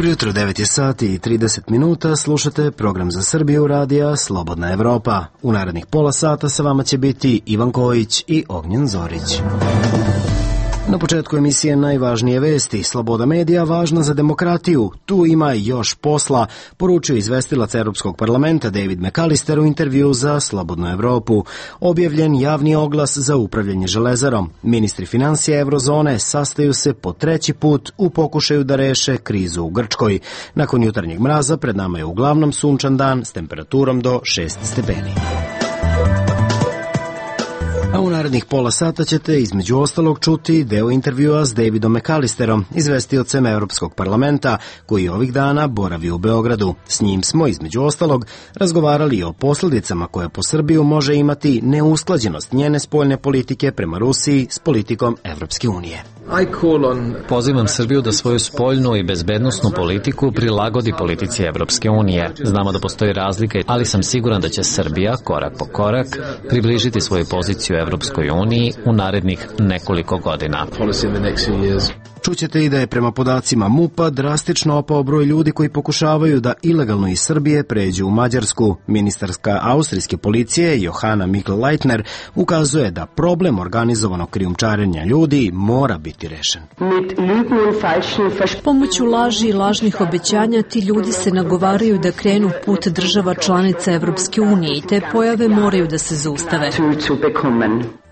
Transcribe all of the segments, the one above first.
Dobro jutro, 9 je sati i 30 minuta, slušate program za Srbiju radija Slobodna Evropa. U narednih pola sata sa vama će biti Ivan Kojić i Ognjen Zorić. Na početku emisije najvažnije vesti. Sloboda medija važna za demokratiju. Tu ima još posla, poručio izvestilac Europskog parlamenta David McAllister u intervju za Slobodnu Evropu. Objavljen javni oglas za upravljanje železarom. Ministri financija Eurozone sastaju se po treći put u pokušaju da reše krizu u Grčkoj. Nakon jutarnjeg mraza pred nama je uglavnom sunčan dan s temperaturom do 6 stepeni. A u narednih pola sata ćete između ostalog čuti deo intervjua s Davidom McAllisterom, izvestiocem Europskog parlamenta, koji ovih dana boravi u Beogradu. S njim smo između ostalog razgovarali o posljedicama koje po Srbiju može imati neusklađenost njene spoljne politike prema Rusiji s politikom Evropske unije. Pozivam Srbiju da svoju spoljnu i bezbednosnu politiku prilagodi politici Evropske unije. Znamo da postoji razlika, ali sam siguran da će Srbija korak po korak približiti svoju poziciju Evropskoj uniji u narednih nekoliko godina. Čućete i da je prema podacima MUP-a drastično opao broj ljudi koji pokušavaju da ilegalno iz Srbije pređu u Mađarsku. Ministarska austrijske policije Johanna Mikl-Leitner ukazuje da problem organizovanog krijumčarenja ljudi mora biti rešen. Pomoću laži i lažnih obećanja ti ljudi se nagovaraju da krenu put država članica Evropske unije i te pojave moraju da se zaustave.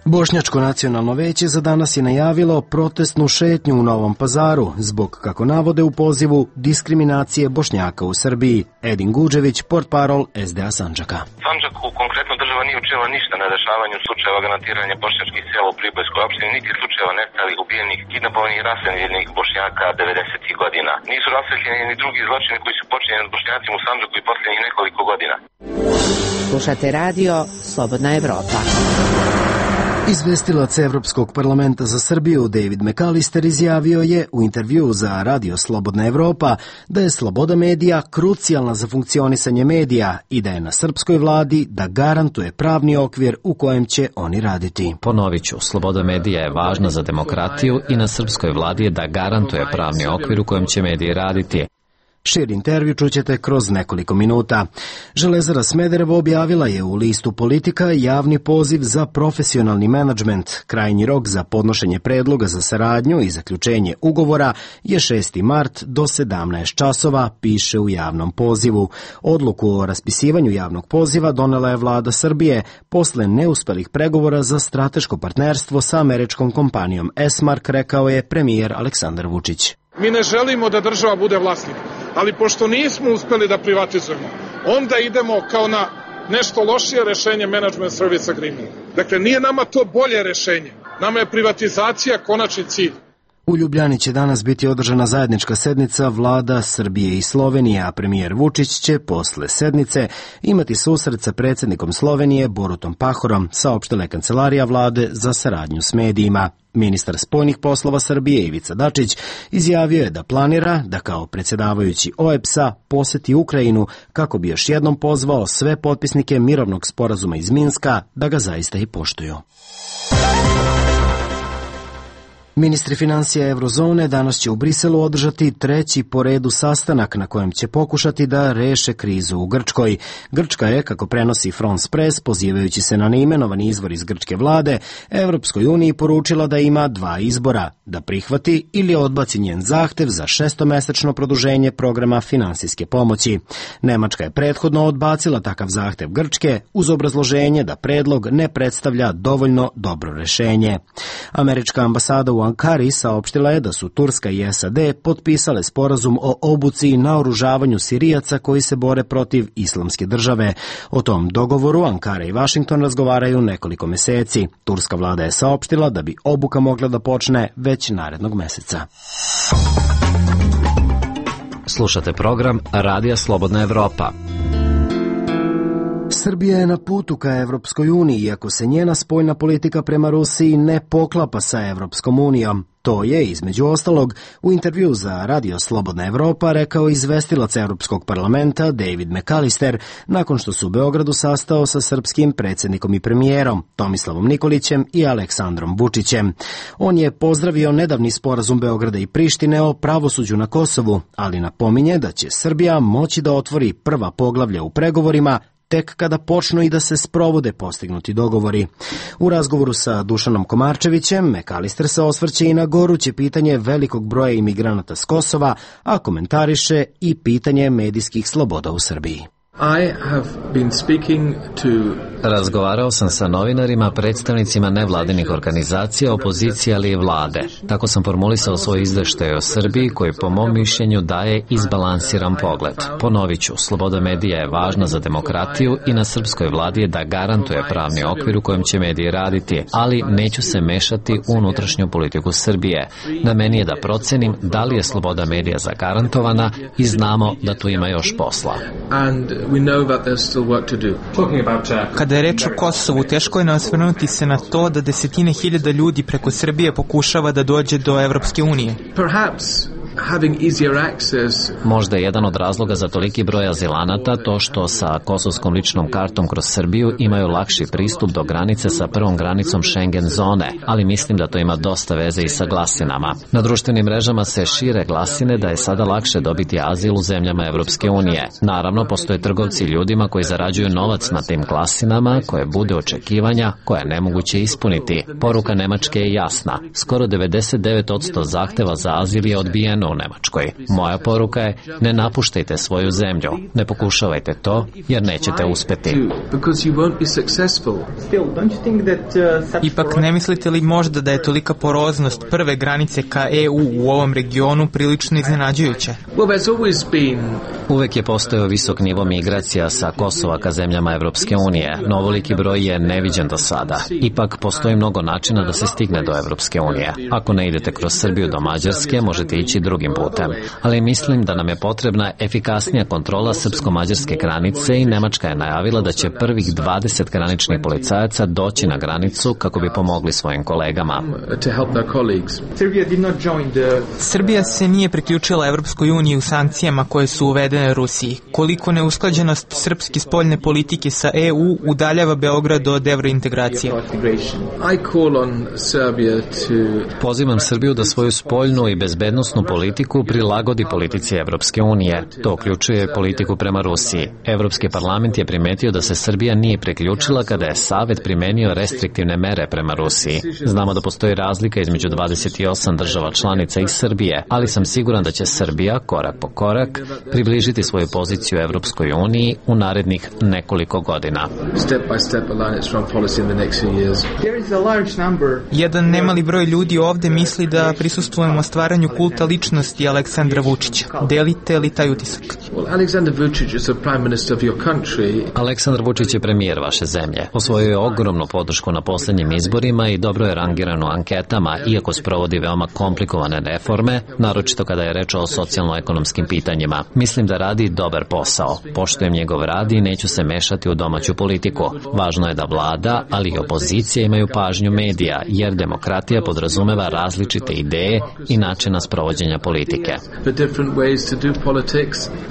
Bošnjačko nacionalno veće za danas je najavilo protestnu šetnju u Novom Pazaru zbog, kako navode u pozivu, diskriminacije Bošnjaka u Srbiji. Edin Guđević, portparol SDA Sandžaka. Sandžaku konkretno država nije učinila ništa na rešavanju slučajeva granatiranja bošnjačkih sela u Pribojskoj opštini, niti slučajeva nestalih, ubijenih, kidnapovanih i raseljenih Bošnjaka 90. godina. Nisu rasvetljeni ni drugi zločini koji su počinjeni nad Bošnjacima u Sandžaku i posljednjih nekoliko godina. Slušate radio Slobodna Evropa. Izvestilac Evropskog parlamenta za Srbiju David McAllister izjavio je u intervju za radio Slobodna Evropa da je sloboda medija krucijalna za funkcionisanje medija i da je na srpskoj vladi da garantuje pravni okvir u kojem će oni raditi. Ponovit ću, sloboda medija je važna za demokratiju i na srpskoj vladi je da garantuje pravni okvir u kojem će mediji raditi. Širi intervju čućete kroz nekoliko minuta. Železara Smederevo objavila je u listu Politika javni poziv za profesionalni menadžment. Krajnji rok za podnošenje predloga za saradnju i zaključenje ugovora je 6. mart do 17 časova, piše u javnom pozivu. Odluku o raspisivanju javnog poziva donela je vlada Srbije posle neuspelih pregovora za strateško partnerstvo sa američkom kompanijom Esmark, rekao je premijer Aleksandar Vučić. Mi ne želimo da država bude vlasnik, ali pošto nismo uspeli da privatizujemo, onda idemo kao na nešto lošije rešenje Management Service Agreement. Dakle, nije nama to bolje rešenje, nama je privatizacija konačni cilj. U Ljubljani će danas biti održana zajednička sednica vlada Srbije i Slovenije, a premijer Vučić će posle sednice imati susret sa predsjednikom Slovenije Borutom Pahorom, saopštila je kancelarija vlade za saradnju s medijima. Ministar spoljnih poslova Srbije Ivica Dačić izjavio je da planira da kao predsjedavajući OEBS-a poseti Ukrajinu kako bi još jednom pozvao sve potpisnike mirovnog sporazuma iz Minska da ga zaista i poštuju. Ministri financija Eurozone danas će u Briselu održati treći po redu sastanak na kojem će pokušati da reše krizu u Grčkoj. Grčka je, kako prenosi France Press, pozivajući se na neimenovani izvor iz grčke vlade, Evropskoj uniji poručila da ima dva izbora, da prihvati ili odbaci njen zahtev za 6-mesečno produženje programa finansijske pomoći. Nemačka je prethodno odbacila takav zahtev Grčke uz obrazloženje da predlog ne predstavlja dovoljno dobro rešenje. Američka ambasada u Ankari saopštila je da su Turska i SAD potpisale sporazum o obuci i naoružavanju Sirijaca koji se bore protiv islamske države. O tom dogovoru Ankara i Vašington razgovaraju nekoliko meseci. Turska vlada je saopštila da bi obuka mogla da počne već narednog meseca. Slušate program Radija Slobodna Evropa. Srbija je na putu ka Evropskoj uniji, iako se njena spoljna politika prema Rusiji ne poklapa sa Evropskom unijom. To je, između ostalog, u intervju za Radio Slobodna Evropa rekao izvestilac Evropskog parlamenta David McAllister nakon što su u Beogradu sastao sa srpskim predsjednikom i premijerom Tomislavom Nikolićem i Aleksandrom Vučićem. On je pozdravio nedavni sporazum Beograda i Prištine o pravosuđu na Kosovu, ali napominje da će Srbija moći da otvori prva poglavlja u pregovorima tek kada počnu i da se sprovode postignuti dogovori. U razgovoru sa Dušanom Komarčevićem, McAllister se osvrće i na goruće pitanje velikog broja imigranata s Kosova, a komentariše i pitanje medijskih sloboda u Srbiji. Razgovarao sam sa novinarima, predstavnicima nevladinih organizacija, opozicije, ali i vlade. Tako sam formulisao svoj izveštaj o Srbiji, koji po mom mišljenju daje izbalansiran pogled. Ponovit ću, sloboda medija je važna za demokratiju i na srpskoj vladi je da garantuje pravni okvir u kojem će mediji raditi, ali neću se mešati u unutrašnju politiku Srbije. Na meni je da procenim da li je sloboda medija zagarantovana i znamo da tu ima još posla. Kada je reč o Kosovu, teško je osvrnuti se na to da desetine hiljada ljudi preko Srbije pokušava da dođe do Evropske unije. Možda je jedan od razloga za toliki broj azilanata to što sa kosovskom ličnom kartom kroz Srbiju imaju lakši pristup do granice sa prvom granicom Schengen zone, ali mislim da to ima dosta veze i sa glasinama. Na društvenim mrežama se šire glasine da je sada lakše dobiti azil u zemljama Evropske unije. Naravno, postoje trgovci ljudima koji zarađuju novac na tim glasinama, koje bude očekivanja koja je nemoguće ispuniti. Poruka Nemačke je jasna. Skoro 99% zahteva za azil je odbijeno u Nemačkoj. Moja poruka je: ne napuštajte svoju zemlju, ne pokušavajte to, jer nećete uspeti. Ipak ne mislite li možda da je tolika poroznost prve granice ka EU u ovom regionu prilično iznenađujuća? Uvek je postojao visok nivo migracija sa Kosova ka zemljama Evropske unije, no ovoliki broj je neviđen do sada. Ipak postoji mnogo načina da se stigne do Evropske unije. Ako ne idete kroz Srbiju do Mađarske, možete ići drugim putem. Ali mislim da nam je potrebna efikasnija kontrola srpsko-mađarske granice i Nemačka je najavila da će prvih 20 graničnih policajaca doći na granicu kako bi pomogli svojim kolegama. Srbija se nije priključila Evropskoj uniji u sankcijama koje su uvedene Rusiji. Koliko neusklađenost srpske spoljne politike sa EU udaljava Beograd od evrointegracije? Pozivam Srbiju da svoju spoljnu i bezbednosnu politiku prilagodi politici Evropske unije. To uključuje politiku prema Rusiji. Evropski parlament je primetio da se Srbija nije priključila kada je Savet primenio restriktivne mere prema Rusiji. Znamo da postoji razlika između 28 država članica i Srbije, ali sam siguran da će Srbija, korak po korak, približiti svoju poziciju Evropskoj uniji u narednih nekoliko godina. Jedan nemali broj ljudi ovde misli da prisustvujemo stvaranju kulta ličnosti Aleksandra Vučića. Delite li taj utisak? Aleksandar Vučić je premijer vaše zemlje. Osvojio je ogromnu podršku na poslednjim izborima i dobro je rangiran u anketama, iako sprovodi veoma komplikovane reforme, naročito kada je reč o socijalno-ekonomskim pitanjima. Mislim da radi dobar posao. Poštujem njegov rad i neću se mešati u domaću politiku. Važno je da vlada, ali i opozicija imaju pažnju medija, jer demokratija podrazumeva različite ideje i načina sprovođenja politike.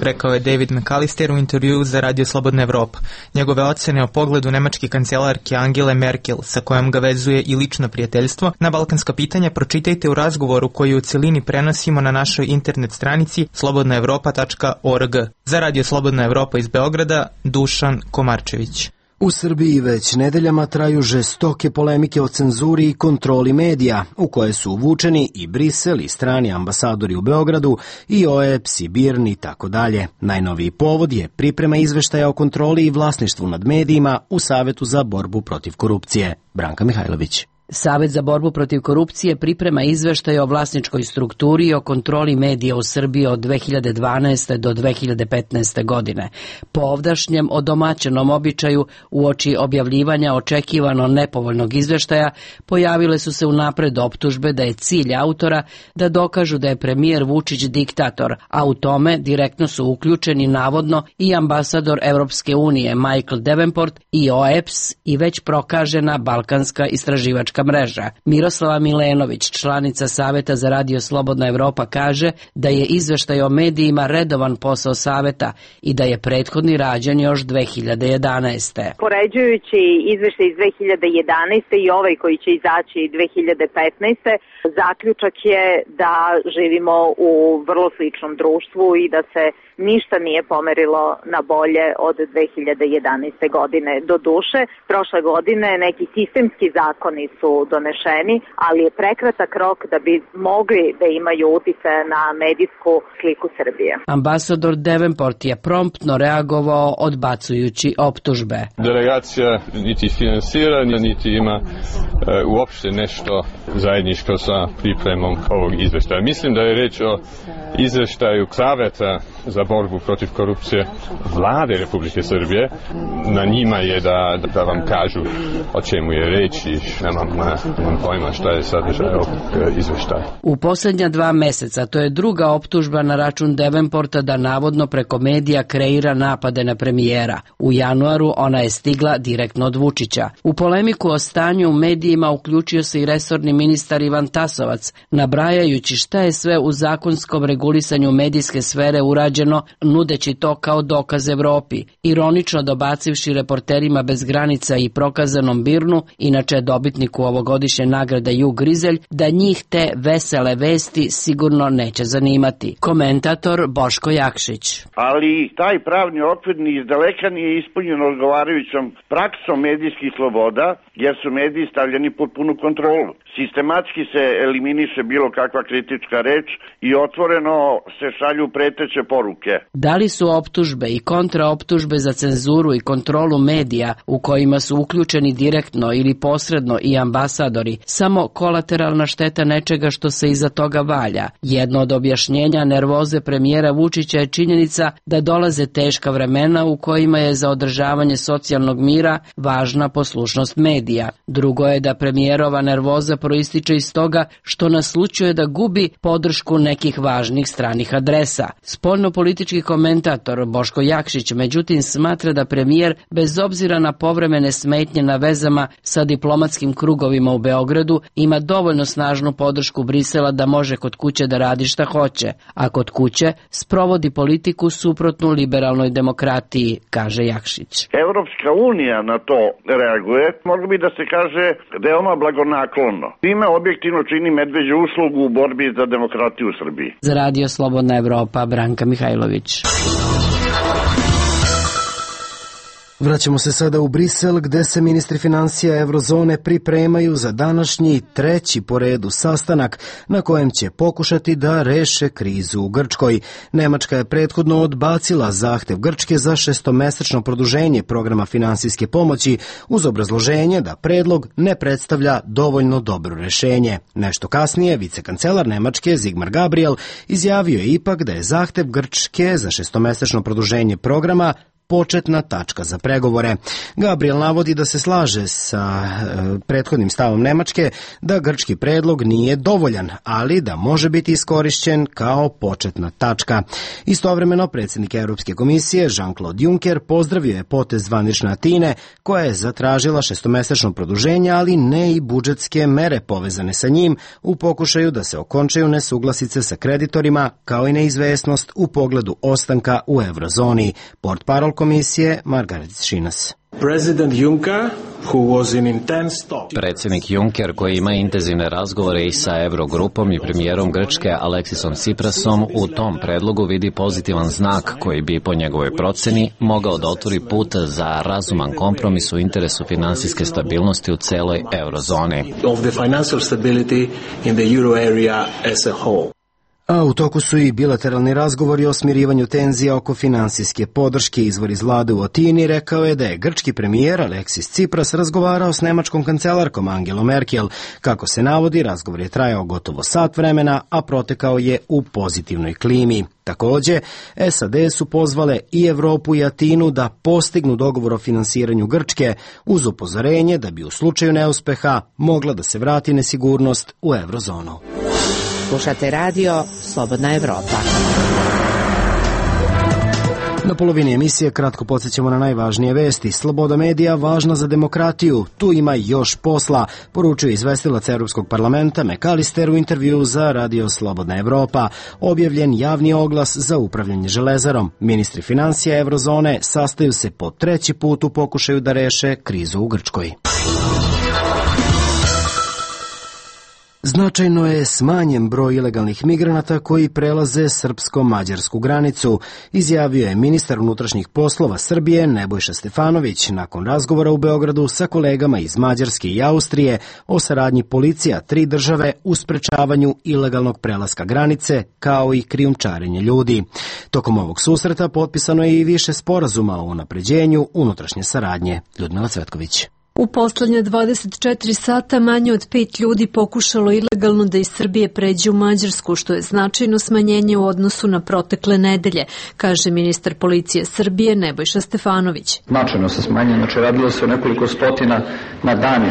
Rekao je David McAllister u intervju za Radio Slobodna Evropa. Njegove ocene o pogledu nemačke kancelarke Angele Merkel, sa kojom ga vezuje i lično prijateljstvo, na balkanska pitanja pročitajte u razgovoru koji u celini prenosimo na našoj internet stranici slobodnaevropa.org. Za Radio Slobodna Evropa iz Beograda, Dušan Komarčević. U Srbiji već nedeljama traju žestoke polemike o cenzuri i kontroli medija, u koje su uvučeni i Brisel i strani ambasadori u Beogradu i OEBS i BIRN i tako dalje. Najnoviji povod je priprema izveštaja o kontroli i vlasništvu nad medijima u Savetu za borbu protiv korupcije. Branka Mihajlović. Savet za borbu protiv korupcije priprema izveštaj o vlasničkoj strukturi i o kontroli medija u Srbiji od 2012. do 2015. godine. Po ovdašnjem odomaćenom običaju, uoči objavljivanja očekivano nepovoljnog izveštaja, pojavile su se unapred optužbe da je cilj autora da dokažu da je premijer Vučić diktator, a u tome direktno su uključeni navodno i ambasador Evropske unije Michael Davenport i OEBS i već prokažena balkanska istraživačka medijska mreža. Miroslava Milenović, članica Saveta za radio Slobodna Evropa, kaže da je izveštaj o medijima redovan posao Saveta i da je prethodni rađen još 2011. Poređujući izveštaj iz 2011. i ovaj koji će izaći 2015. zaključak je da živimo u vrlo sličnom društvu i da se ništa nije pomerilo na bolje od 2011. godine. Do duše, prošle godine neki sistemski zakoni su donešeni, ali je prekratak rok da bi mogli da imaju uticaja na medijsku sliku Srbije. Ambasador Davenport je promptno reagovao odbacujući optužbe. Delegacija niti finansira, niti ima uopšte nešto zajedničko sa pripremom ovog izveštaja. Mislim da je reč o izveštaju Saveta za borbu protiv korupcije Vlade Republike Srbije. Na njima je da vam kažu o čemu je reč i nemam pojma šta je sadržaj ovog izveštaja. U posljednja 2 meseca, to je druga optužba na račun Davenporta da navodno preko medija kreira napade na premijera. U januaru ona je stigla direktno od Vučića. U polemiku o stanju u medijima uključio se i resorni ministar Ivan Tasovac, nabrajajući šta je sve u zakonskom regulisanju medijske sfere urađeno, nudeći to kao dokaz Evropi, ironično dobacivši Reporterima bez granica i prokazanom Birnu, inače dobitniku ovogodišnje nagrade Jug Grizelj, da njih te vesele vesti sigurno neće zanimati. Komentator Boško Jakšić. Ali taj pravni okvir ni izdaleka nije ispunjen odgovarajućom praksom medijskih sloboda, jer su mediji stavljeni pod punu kontrolu. Sistematski se eliminiše bilo kakva kritička reč i otvoreno se šalju preteće poruke. Da li su optužbe i kontraoptužbe za cenzuru i kontrolu medija u kojima su uključeni direktno ili posredno i ambasadori samo kolateralna šteta nečega što se iza toga valja? Jedno od objašnjenja nervoze premijera Vučića je činjenica da dolaze teška vremena u kojima je za održavanje socijalnog mira važna poslušnost medija. Drugo je da premijerova nervoza proističe iz toga što naslućuje da gubi podršku nekih važnih stranih adresa. Spoljnopolitički komentator Boško Jakšić međutim smatra da premijer, bez obzira na povremene smetnje na vezama sa diplomatskim krugovima u Beogradu, ima dovoljno snažnu podršku Brisela da može kod kuće da radi šta hoće, a kod kuće sprovodi politiku suprotnu liberalnoj demokratiji, kaže Jakšić. Evropska unija na to reaguje, moglo bi da se kaže veoma blagonaklono. Time objektivno čini medveđu uslugu u borbi za demokratiju u Srbiji. Za radio Slobodna Evropa, Branka Mihajlović. Vraćamo se sada u Brisel, gde se ministri finansija Evrozone pripremaju za današnji 3. po redu sastanak na kojem će pokušati da reše krizu u Grčkoj. Nemačka je prethodno odbacila zahtev Grčke za 6-mesečno produženje programa finansijske pomoći uz obrazloženje da predlog ne predstavlja dovoljno dobro rešenje. Nešto kasnije, vicekancelar Nemačke Sigmar Gabriel izjavio je ipak da je zahtev Grčke za 6-mesečno produženje programa početna tačka za pregovore. Gabriel navodi da se slaže sa prethodnim stavom Nemačke da grčki predlog nije dovoljan, ali da može biti iskorišćen kao početna tačka. Istovremeno, predsjednik Europske komisije Jean-Claude Juncker pozdravio je potez zvanične Atine, koja je zatražila 6-mesečno produženje, ali ne i budžetske mere povezane sa njim u pokušaju da se okončaju nesuglasice sa kreditorima, kao i neizvesnost u pogledu ostanka u eurozoni. Portparol komisije Margaret Šinas. Predsjednik Juncker, koji ima intenzivne razgovore i sa Eurogrupom i premijerom Grčke Aleksisom Tsiprasom, u tom predlogu vidi pozitivan znak koji bi po njegovoj proceni mogao da otvori put za razuman kompromis u interesu finansijske stabilnosti u celoj eurozoni. A u toku su i bilateralni razgovori o smirivanju tenzija oko finansijske podrške. Izvor iz vlade u Atini rekao je da je grčki premijer Aleksis Tsipras razgovarao s nemačkom kancelarkom Angelom Merkel. Kako se navodi, razgovor je trajao gotovo sat vremena, a protekao je u pozitivnoj klimi. Takođe, SAD su pozvale i Evropu i Atinu da postignu dogovor o finansiranju Grčke uz upozorenje da bi u slučaju neuspeha mogla da se vrati nesigurnost u eurozonu. Slušate radio Slobodna Evropa. Na polovini emisije kratko podsjećamo na najvažnije vesti. Sloboda medija važna za demokratiju. Tu ima još posla, poručuje izvestilac Evropskog parlamenta McAllister u intervju za Radio Slobodna Evropa. Objavljen javni oglas za upravljanje železarom. Ministri financija Evrozone sastaju se po treći put u pokušaju da reše krizu u Grčkoj. Značajno je smanjen broj ilegalnih migranata koji prelaze srpsko-mađarsku granicu, izjavio je ministar unutrašnjih poslova Srbije Nebojša Stefanović nakon razgovora u Beogradu sa kolegama iz Mađarske i Austrije o saradnji policija 3 države u sprečavanju ilegalnog prelaska granice kao i krijumčarenja ljudi. Tokom ovog susreta potpisano je i više sporazuma o unapređenju unutrašnje saradnje. Ljudmila Cvetković. U poslednje 24 sata manje od 5 ljudi pokušalo ilegalno da iz Srbije pređe u Mađarsku, što je značajno smanjenje u odnosu na protekle nedelje, kaže ministar policije Srbije Nebojša Stefanović. Značajno se smanjenje, znači radilo se o nekoliko stotina na dan.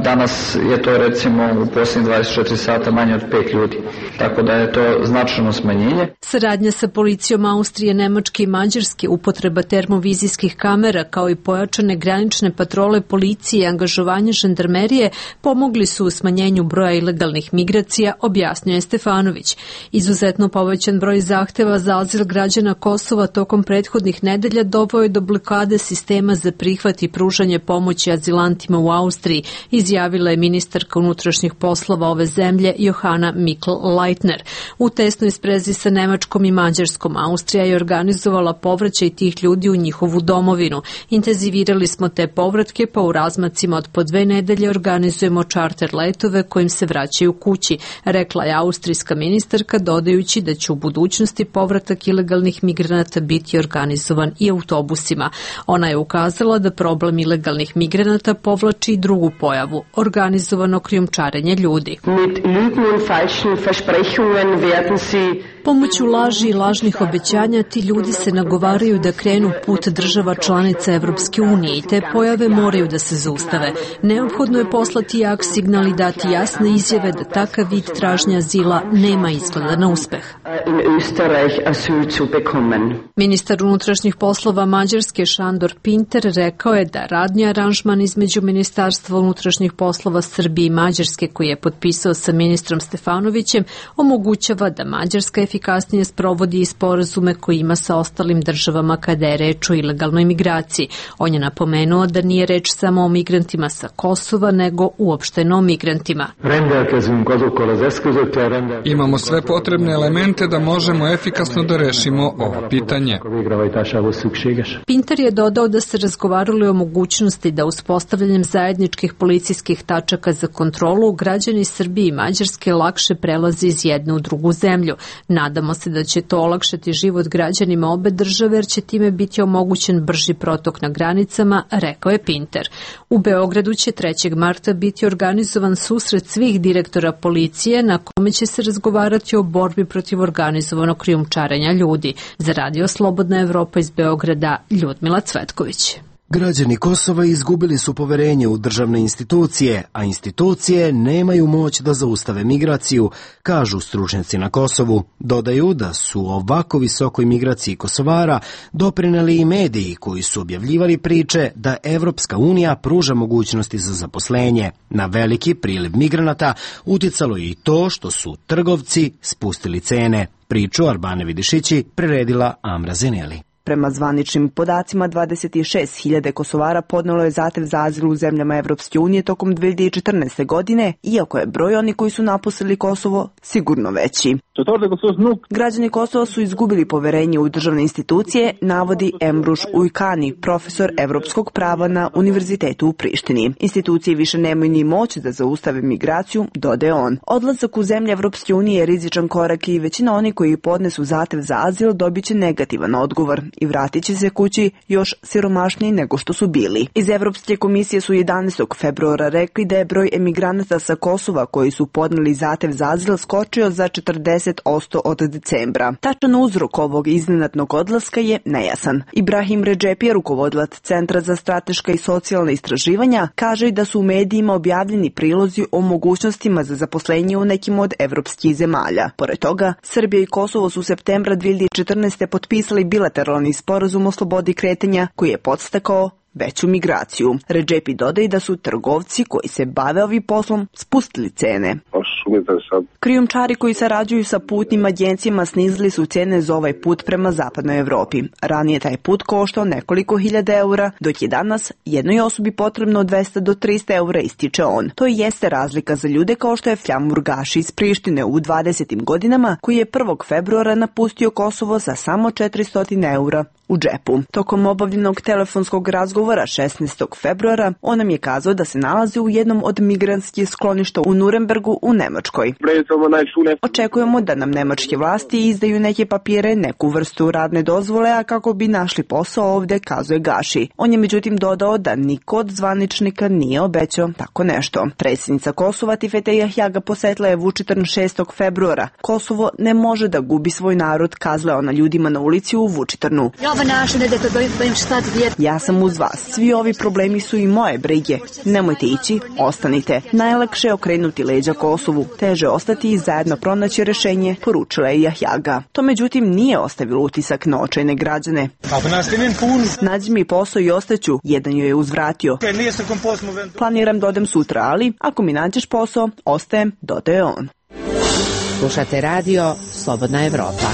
Danas je to recimo u posljednjih 24 sata manje od 5 ljudi, tako da je to značajno smanjenje. Saradnja sa policijom Austrije, Nemačke i Mađarske, upotreba termovizijskih kamera kao i pojačane granične patrole policije i angažovanje žandarmerije pomogli su u smanjenju broja ilegalnih migracija, objasnio je Stefanović. Izuzetno povećan broj zahteva za azil građana Kosova tokom prethodnih nedelja doveo je do blokade sistema za prihvat i pružanje pomoći azilantima u Austriji, izjavila je ministarka unutrašnjih poslova ove zemlje Johana Mikl-Leitner. U tesnoj sprezi sa Nemačkom i Mađarskom Austrija je organizovala povraćaj tih ljudi u njihovu domovinu. Intenzivirali smo te povratke, pa u razmacima od po 2 nedelje organizujemo čarter letove kojim se vraćaju kući, rekla je austrijska ministarka, dodajući da će u budućnosti povratak ilegalnih migranata biti organizovan i autobusima. Ona je ukazala da problem ilegalnih migranata povlači i drugu pojavu, organizovano krijumčarenje ljudi. Pomoću laži i lažnih obećanja ti ljudi se nagovaraju da krenu put država članica Evropske unije i te pojave moraju da se zaustave. Neophodno je poslati jak signal i dati jasne izjave da takav vid tražnja azila nema izgleda na uspeh. Ministar unutrašnjih poslova Mađarske Šandor Pinter rekao je da radni aranžman između Ministarstva unutrašnjih poslova Srbije i Mađarske koji je potpisao sa ministrom Stefanovićem omogućava da Mađarska efikasnije sprovodi i sporazume koje ima sa ostalim državama kada je reč o ilegalnoj migraciji. On je napomenuo da nije reč samo o migrantima sa Kosova, nego uopšteno o migrantima. Imamo sve potrebne elemente da možemo efikasno da rešimo ovo pitanje. Pinter je dodao da se razgovaralo o mogućnosti da uspostavljanjem zajedničkih policijskih tačaka za kontrolu građani Srbije i Mađarske lakše prelaze iz jedne u drugu zemlju. Nadamo se da će to olakšati život građanima obe države jer će time biti omogućen brži protok na granicama, rekao je Pinter. U Beogradu će 3. marta biti organizovan susret svih direktora policije na kome će se razgovarati o borbi protiv organizovanog krijumčarenja ljudi. Za Radio Slobodna Evropa iz Beograda, Ljudmila Cvetković. Građani Kosova izgubili su poverenje u državne institucije, a institucije nemaju moć da zaustave migraciju, kažu stručnjaci na Kosovu. Dodaju da su ovako visokoj migraciji Kosovara doprineli i mediji koji su objavljivali priče da Evropska unija pruža mogućnosti za zaposlenje. Na veliki priliv migranata uticalo je i to što su trgovci spustili cene. Priču Arbane Vidišići priredila Amra Zeneli. Prema zvaničnim podacima, 26.000 Kosovara podnelo je zahtev za azil u zemljama Evropske unije tokom 2014. godine, iako je broj oni koji su napustili Kosovo sigurno veći. Građani Kosova su izgubili poverenje u državne institucije, navodi Emruš Ujkani, profesor evropskog prava na Univerzitetu u Prištini. Institucije više nemaju ni moć da zaustave migraciju, dodaje on. Odlazak u zemlje Evropske unije je rizičan korak i većina oni koji podnesu zahtev za azil dobit će negativan odgovor i vratit će se kući još siromašniji nego što su bili. Iz Evropske komisije su 11. februara rekli da je broj emigranata sa Kosova koji su podneli zahtev za azil skočio za 40% od decembra. Tačan uzrok ovog iznenadnog odlaska je nejasan. Ibrahim Redžepija, rukovodilac Centra za strateška i socijalna istraživanja, kaže da su u medijima objavljeni prilozi o mogućnostima za zaposlenje u nekim od evropskih zemalja. Pored toga, Srbija i Kosovo su u septembra 2014. potpisali bilateralni globalni sporazum o slobodi kretanja koji je podstakao veću migraciju. Redžepi dodaje da su trgovci koji se bave ovim poslom spustili cene. Krijumčari koji sarađuju sa putnim agencijama snizili su cene za ovaj put prema zapadnoj Evropi. Ranije taj put koštao nekoliko hiljada eura, dok je danas jednoj osobi potrebno 200 do 300 eura, ističe on. To jeste razlika za ljude kao što je Fljamur Gaši iz Prištine u 20. godinama, koji je 1. februara napustio Kosovo za samo 400 eura u džepu. Tokom obavljenog telefonskog razgovora 16. februara on nam je kazao da se nalazi u jednom od migrantskih skloništa u Nurembergu u Nemačkoj. Očekujemo da nam nemačke vlasti izdaju neke papire, neku vrstu radne dozvole, a kako bi našli posao ovde, kazuje Gaši. On je međutim dodao da niko od zvaničnika nije obećao tako nešto. Predsjednica Kosova Tifete Jahjaga posetila je Vučitrn 6. februara. Kosovo ne može da gubi svoj narod, kazala ona ljudima na ulici u Vučitrnu. Ja sam uz vas. Svi ovi problemi su i moje brige. Nemojte ići, ostanite. Najlakše je okrenuti leđa Kosovu. Teže ostati i zajedno pronaći rešenje, poručila je Jahjaga. To međutim nije ostavilo utisak na očajne građane. Nađi mi posao i ostaću, jedan joj je uzvratio. Planiram da odem sutra, ali ako mi nađeš posao, ostajem, dodaje on. Slušate radio Slobodna Evropa.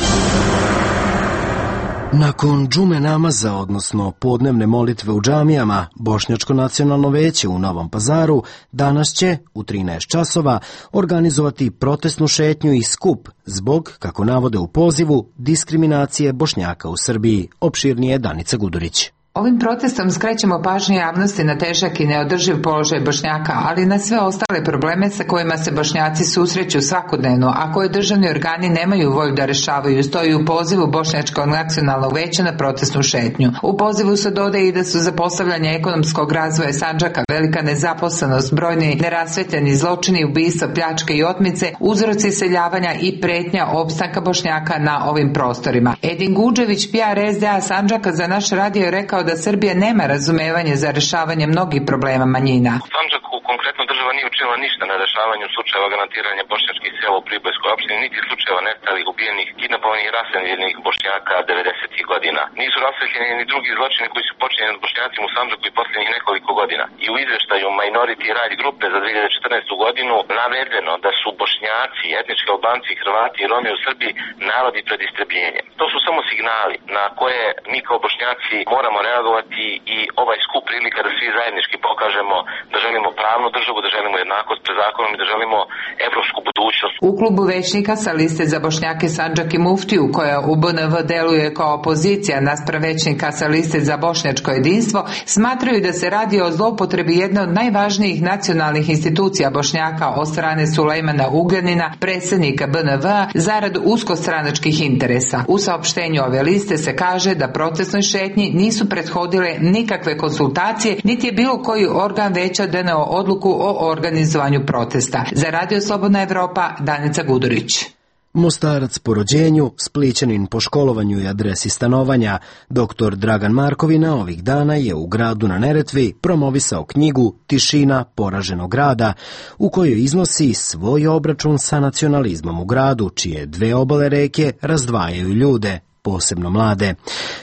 Nakon džume namaza, odnosno podnevne molitve u džamijama, Bošnjačko nacionalno veće u Novom Pazaru danas će u 13 časova organizovati protestnu šetnju i skup zbog, kako navode u pozivu, diskriminacije Bošnjaka u Srbiji. Opširnije Danica Gudurić. Ovim protestom skrećemo pažnju javnosti na težak i neodrživ položaj Bošnjaka, ali i na sve ostale probleme sa kojima se Bošnjaci susreću svakodnevno, a koje državni organi nemaju volju da rešavaju, stoji u pozivu Bošnjačkog nacionalnog veća na protestnu šetnju. U pozivu se dodaje i da su za postavljanje ekonomskog razvoja Sandžaka velika nezaposlenost, brojni nerasvetljeni zločini, ubistva, pljačke i otmice, uzroci iseljavanja i pretnja opstanka Bošnjaka na ovim prostorima. Edin Guđević, PR SDA Sandžaka, za naš radio je rekao da Srbija nema razumevanje za rešavanje mnogih problema manjina. U Sandžaku konkretno država nije učinila ništa na rešavanju slučajeva granatiranja bošnjačkih sela u Pribojskoj opštini, niti slučajeva nestalih, ubijenih, kidnapovanih i raseljenih Bošnjaka 90. godina. Nisu rasvetljeni ni drugi zločini koji su počinjeni s Bošnjacima u Sandžaku i posljednjih nekoliko godina. I u izveštaju Minority Right grupe za 2014. godinu navedeno da su Bošnjaci, etnički Albanci, Hrvati i Romi u Srbiji narodi pred istrebljenjem. To su samo signali na koje mi kao Bošnjaci moramo reagovati i ovaj skup prilika da svi zajednički pokažemo da želimo pravnu državu, da želimo jednakost pred zakonom i da želimo evropsku budućnost. U klubu većnika sa liste za Bošnjake Sandžak i Muftiju, koja u BNV deluje kao opozicija naspram većnika sa liste za bošnjačko jedinstvo, smatraju da se radi o zloupotrebi jedne od najvažnijih nacionalnih institucija Bošnjaka od strane Sulejmana Ugljanina, predsjednika BNV, zarad uskostranačkih interesa. U saopštenju ove liste se kaže da protestnoj šetnji nisu prethodile nikakve konsultacije, niti je bilo koji organ veća doneo odluku o organizovanju protesta. Za Radio Slobodna Evropa, Danica Gudurić. Mostarac po rođenju, Splićanin po školovanju i adresi stanovanja, dr. Dragan Markovina ovih dana je u gradu na Neretvi promovisao knjigu Tišina poraženog grada, u kojoj iznosi svoj obračun sa nacionalizmom u gradu, čije dve obale reke razdvajaju ljude, posebno mlade.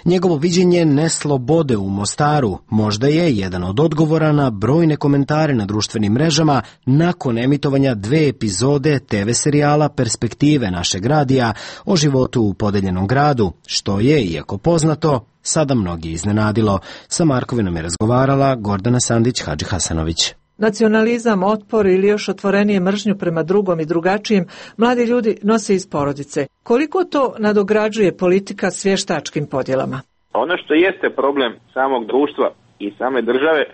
Njegovo viđenje neslobode u Mostaru možda je jedan od odgovora na brojne komentare na društvenim mrežama nakon emitovanja 2 epizode TV serijala Perspektive našeg radija o životu u podeljenom gradu, što je, iako poznato, sada mnogi iznenadilo. Sa Markovinom je razgovarala Gordana Sandić-Hadži Hasanović. Nacionalizam, otpor ili još otvorenije mržnju prema drugom i drugačijem mladi ljudi nose iz porodice. Koliko to nadograđuje politika s vještačkim podjelama? Ono što jeste problem samog društva i same države,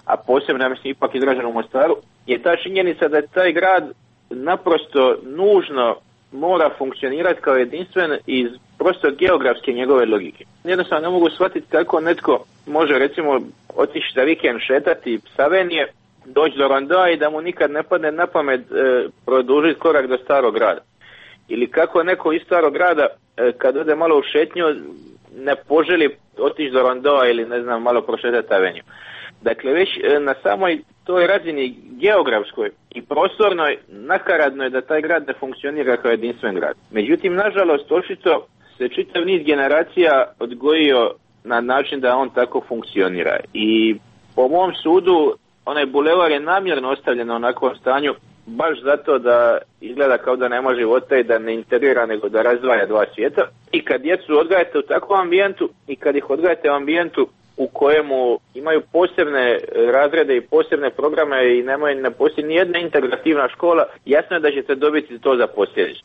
a posebno, ja mislim, ipak izraženo u Mostaru, je ta činjenica da taj grad naprosto nužno mora funkcionirati kao jedinstven iz prosto geografske njegove logike. Jednostavno ne mogu shvatiti kako netko može, recimo, otići za vikend šetati Savenije, doći do Rondoa i da mu nikad ne padne na pamet produžiti korak do starog grada. Ili kako neko iz starog grada kad ode malo u šetnju ne poželi otići do Rondoa ili ne znam malo prošetati Aveniju. Dakle, već na samoj toj razini geografskoj i prostornoj nakaradno je da taj grad ne funkcionira kao jedinstven grad. Međutim, nažalost, očito se čitav niz generacija odgojio na način da on tako funkcionira. I po mom sudu, onaj bulevar je namjerno ostavljen na onakvom stanju, baš zato da izgleda kao da nema života i da ne integrira, nego da razdvaja dva svijeta. I kad djecu odgajate u takvom ambijentu i kad ih odgajate u ambijentu u kojemu imaju posebne razrede i posebne programe i ne postoji ni jedna integrativna škola, jasno je da ćete dobiti to za posljedicu.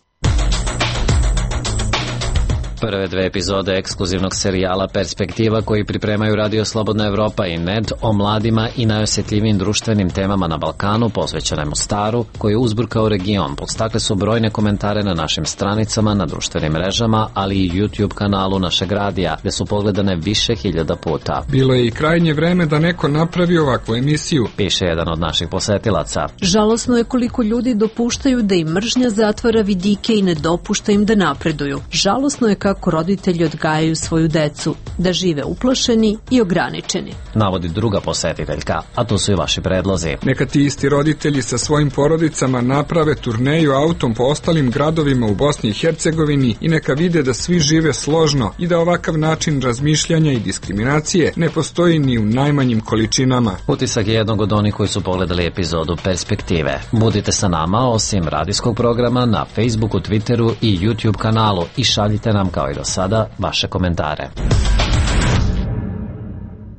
Prve dve epizode ekskluzivnog serijala Perspektiva koji pripremaju Radio Slobodna Evropa i NED o mladima i najosjetljivijim društvenim temama na Balkanu posvećene Mostaru, koji je uzburkao region, podstakle su brojne komentare na našim stranicama, na društvenim mrežama, ali i YouTube kanalu našeg radija, gde su pogledane više hiljada puta. Bilo je i krajnje vreme da neko napravi ovakvu emisiju, piše jedan od naših posetilaca. Žalosno je koliko ljudi dopuštaju da im mržnja zatvara vidike i ne dopušta im da napreduju. Žalosno je kako roditelji odgajaju svoju decu, da žive uplašeni i ograničeni. Navodi druga posjetiteljka, a to su i vaši predlozi. Neka ti isti roditelji sa svojim porodicama naprave turneju autom po ostalim gradovima u Bosni i Hercegovini i neka vide da svi žive složno i da ovakav način razmišljanja i diskriminacije ne postoji ni u najmanjim količinama. Utisak je jednog od onih koji su pogledali epizodu Perspektive. Budite sa nama, osim radijskog programa, na Facebooku, Twitteru i YouTube kanalu i šaljite nam kao i do sada vaše komentare.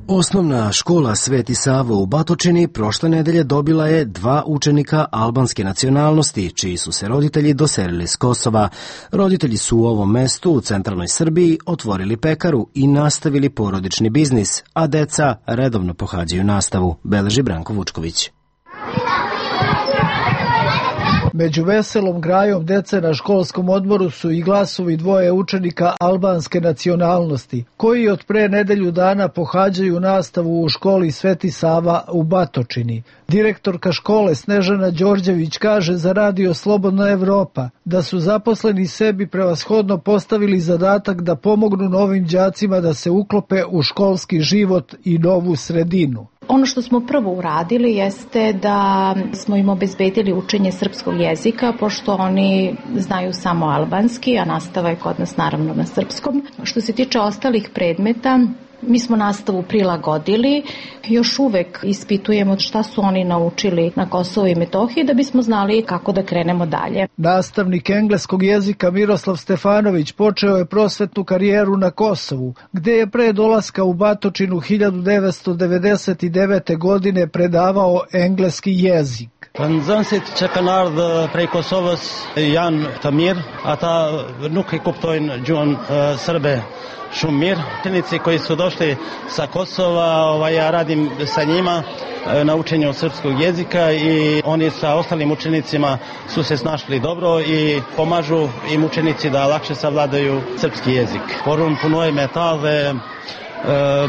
Osnovna škola Sveti Savo u Batočini prošle nedelje dobila je 2 učenika albanske nacionalnosti, čiji su se roditelji doselili s Kosova. Roditelji su u ovom mestu u centralnoj Srbiji otvorili pekaru i nastavili porodični biznis, a deca redovno pohađaju nastavu, beleži Branko Vučković. Među veselom grajom dece na školskom odmoru su i glasovi 2 učenika albanske nacionalnosti, koji od pre nedelju dana pohađaju nastavu u školi Sveti Sava u Batočini. Direktorka škole Snežana Đorđević kaže za Radio Slobodna Evropa da su zaposleni sebi prevashodno postavili zadatak da pomognu novim đacima da se uklope u školski život i novu sredinu. Ono što smo prvo uradili jeste da smo im obezbedili učenje srpskog jezika, pošto oni znaju samo albanski, a nastava je kod nas naravno na srpskom. Što se tiče ostalih predmeta, mi smo nastavu prilagodili, još uvek ispitujemo šta su oni naučili na Kosovu i Metohiji da bismo znali kako da krenemo dalje. Nastavnik engleskog jezika Miroslav Stefanović počeo je prosvetnu karijeru na Kosovu, gde je pre dolaska u Batočinu 1999. godine predavao engleski jezik. Nxënësit që kanë ardhur prej Kosovës janë të mirë, ata nuk e kuptojnë gjuhën srbe shumë mirë. Učenici koji su došli sa Kosova, ja radim sa njima na učenju srpskog jezika i oni sa ostalim učenicima su se snašli dobro i pomažu im učenici da lakše savladaju srpski jezik. Por unë punoj me ta dhe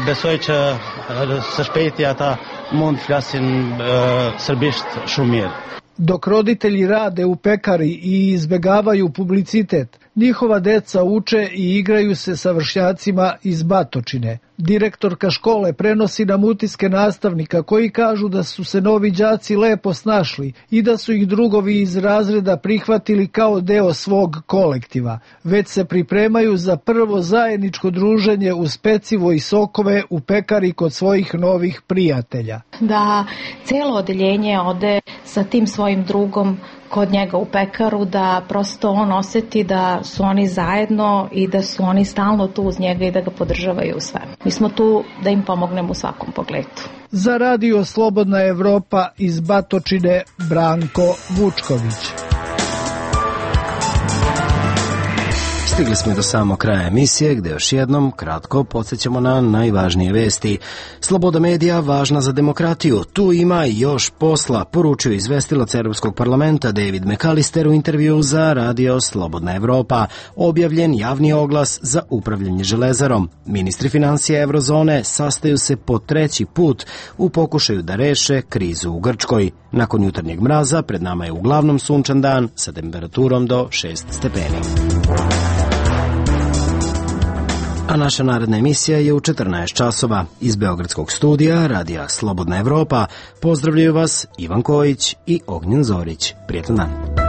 besoj që së shpejti ata mund flasin srbisht shumë mirë. Dok roditelji rade u pekari i izbegavaju publicitet, njihova deca uče i igraju se sa vršnjacima iz Batočine. Direktorka škole prenosi nam utiske nastavnika koji kažu da su se novi đaci lepo snašli i da su ih drugovi iz razreda prihvatili kao deo svog kolektiva. Već se pripremaju za prvo zajedničko druženje uz pecivo i sokove u pekari kod svojih novih prijatelja. Da celo odeljenje ode sa tim svojim drugom kod njega u pekaru, da prosto on oseti da su oni zajedno i da su oni stalno tu uz njega i da ga podržavaju u svemu. Mi smo tu da im pomognemo u svakom pogledu. Za Radio Slobodna Evropa iz Batočine, Branko Vučković. Stigli smo do samog kraja emisije, gde još jednom kratko podsjećamo na najvažnije vesti. Sloboda medija važna za demokratiju. Tu ima još posla, poručio izvestilac Europskog parlamenta David McAllister u intervju za Radio Slobodna Evropa. Objavljen javni oglas za upravljanje železarom. Ministri financija Evrozone sastaju se po 3. put u pokušaju da reše krizu u Grčkoj. Nakon jutarnjeg mraza pred nama je uglavnom sunčan dan sa temperaturom do 6 stepeni. A naša naredna emisija je u 14 časova. Iz Beogradskog studija Radija Slobodna Evropa pozdravljaju vas Ivan Kojić i Ognjen Zorić. Prijetan dan.